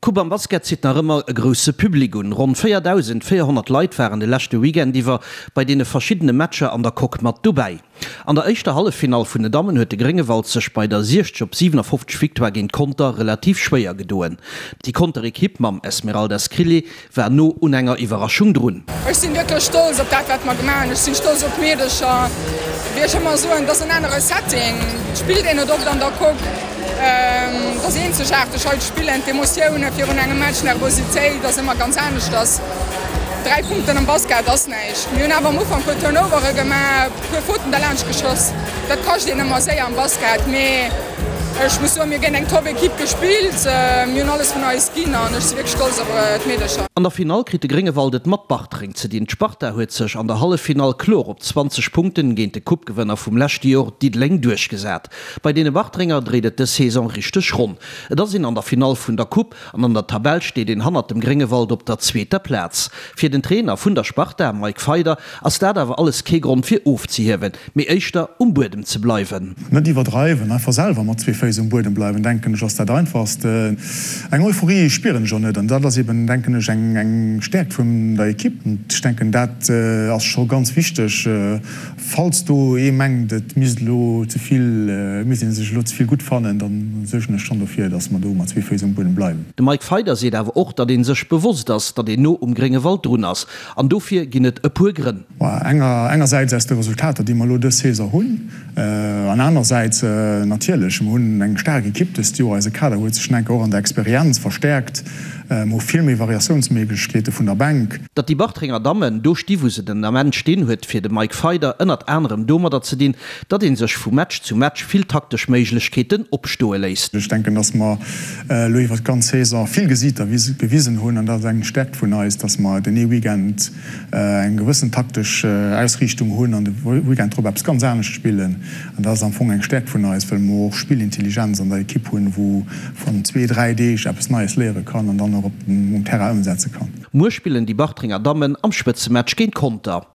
D'Coupe am Basket zitt nach ëmmer e grousse Public un. Ronn 4.400 Leit waren de leschte Weekend iwwer bei deene verschiddene Matcher an der Coque mat dobäi. An der éischter Halleffinall vun den Dammen huet de Gréngewald sech bei der 60 op 57 Victoire géint Conter relativ schwéier gedoen. Déi Conter Ekipp mam Esmeralda Scrilli war no un enger Iwwerraschung drun. Ech sinn wierklech stolz op dat, wat mer gemaach hunn. Ech sinn stolz op d'Meedecher. Wéi ech ëmmer soen, et ass en anere Setting. Et spillt een net oft an der Coque. Et ass eenzegaarteg hei ze spillen. D'Emotioune virun engem Match, d'Nervositéit ass ëmmer ganz aneschters. 3 Punkten am Basket ass näischt. Mir hunn awer am Ufank e puer Turnovere gemaach. Puer Fauten derlaanscht geschoss, dat kascht een ëmmer séier am Basket, mee ech muss soen, mir hu géint eng top Equipe gespillt, mir hunn alles vun eis ginn an ech si wierklech stolz op d'Meedecher. An der Finall kritt de Gréngewald et mat Bartreng ze dinn. D'Sparta huet sech an der Halleffinall kloer op 20 Punkten géint de Coupe-Gewënner vum leschte Jor, Diddeleng, duerchgesat. Bei deene Bartrenger dréit et dës Saison richteg ronn. Et ass een an der Finall vun der Coupe an an der Tabell steet een hannert dem Gréngewald op der zweeter Plaz. Fir den Trainer vun der Sparta, Mike Feider, ass dat awer alles kee Grond fir ofzehiewen, mee éischter um Buedem ze bleiwen. Net iwwerdreiwen, einfach selwer mat zwee Féiss um Buedem bleiwen, denken ech ass dat einfachst. Eng Euphorie spieren ech och net an dat ass eben, denken ech, eng Stäerkt vun der Ekipp. Ech denken dat ass scho ganz wichteg. Falls do ee mengt, et misst elo ze vill, et misst ee sech elo ze vill gutt fannen, da suergen ech schonn dofir, datt mer do mat zwee Féiss um Buedem bleiwen. De Mike Feyder seet awer och, datt ee sech bewosst ass, datt een no um Gréngewald drun ass. An dofir ginn et e puer Grënn. Engersäits aus de Resultater, déi mer elo dës Saison hunn, an anersäits natierlech, mer hunn eng staark Ekipp dëst Joer. Eise Kader huet sech enker och an der Experienz verstäerkt. Mer hu vill méi Variatiounsméiglechkeete vun der Bänk. Datt déi Bartrenger Dammen do sti wou se den Ament stinn, huet fir de Mike Feyder ënnert anerem domadder ze dinn, datt ee sech vu Match zu Match vill taktesch Méiglechkeeten opstoe léisst. Ech denken, datt mer elo iwwer d'ganz Saison vill Gesiiter gewisen hunn an dat ass eng Stärkt vun eis, datt mer den ee Weekend eng gewëssen taktesch Ausriichtung hunn an de Weekend drop eppes ganz anescht spillen. An dat ass am Fong eng Stärkt vun eis, well mer och Spillintelligenz an der Ekipp hunn, wou vun zwee, dräi Deeg eppes Neies léiere kann an dann och op um Terrain ëmsetze kann. Muer spillen déi Bartrenger Dammen am Spëtzematch géint Conter.